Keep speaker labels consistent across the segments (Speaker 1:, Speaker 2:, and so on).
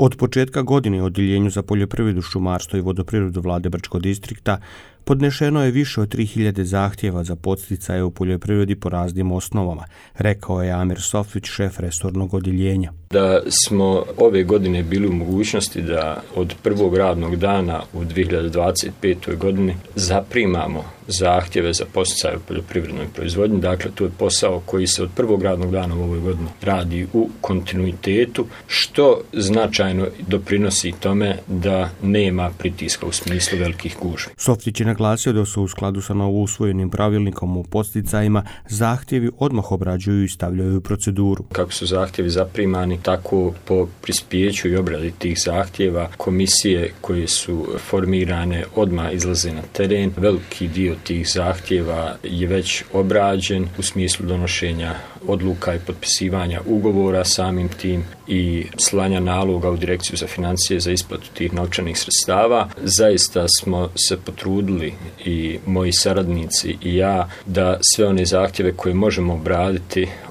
Speaker 1: Od početka godine u Odjeljenju za poljoprivredu, šumarstvo i vodoprivredu Vlade Brčkog distrikta podnešeno je više od 3000 zahtjeva za podsticaje u poljoprivredi po raznim osnovama, rekao je Amir Softić, šef resornog odjeljenja.
Speaker 2: Da smo ove godine bili u mogućnosti da od prvog radnog dana u 2025. godini zaprimamo zahtjeve za podsticaje u poljoprivrednoj proizvodnji. Dakle, to je posao koji se od prvog radnog dana u ovoj godini radi u kontinuitetu, što značajno doprinosi tome da nema pritiska u smislu velikih gužvi.
Speaker 1: Softić je naglasio da su u skladu sa novousvojenim pravilnikom o podsticajima zahtjevi odmah obrađuju i stavljaju u proceduru.
Speaker 2: Kako su zahtjevi zaprimani, tako po prispijeću i obradi tih zahtjeva komisije koje su formirane odmah izlaze na teren. Veliki dio tih zahtjeva je već obrađen u smislu donošenja odluka i potpisivanja ugovora samim tim i slanja naloga u Direkciju za financije za isplatu tih novčanih sredstava. Zaista smo se potrudili i moji saradnici i ja da sve one zahtjeve koje možemo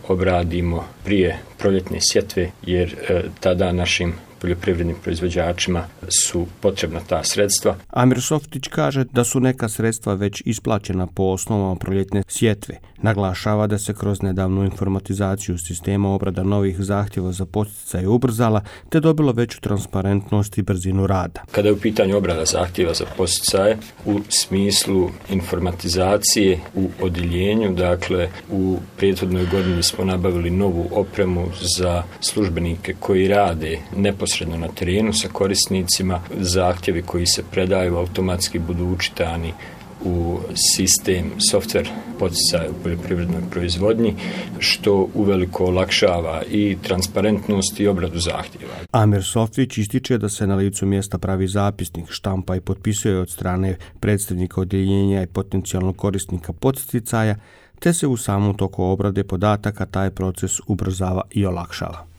Speaker 2: obradimo prije proljetne sjetve, jer tada našim poljoprivrednim proizvođačima su potrebna ta sredstva.
Speaker 1: Amir Softić kaže da su neka sredstva već isplaćena po osnovama proljetne sjetve. Naglašava da se kroz nedavnu informatizaciju sistema obrada novih zahtjeva za podsticaj ubrzala te dobilo veću transparentnost i brzinu rada.
Speaker 2: Kada je u pitanju obrada zahtjeva za podsticaje u smislu informatizacije u odjeljenju, dakle u prethodnoj godini smo nabavili novu opremu za službenike koji rade neposredno na terenu sa korisnicima. Zahtjevi koji se predaju automatski budu učitani u sistem softver podsticaja u poljoprivrednoj proizvodnji, što uveliko olakšava i transparentnost i obradu zahtjeva.
Speaker 1: Amir Softić ističe da se na licu mjesta pravi zapisnik, štampa i potpisuje od strane predstavnika odjeljenja i potencijalnog korisnika podsticaja, te se u samom toku obrade podataka taj proces ubrzava i olakšava.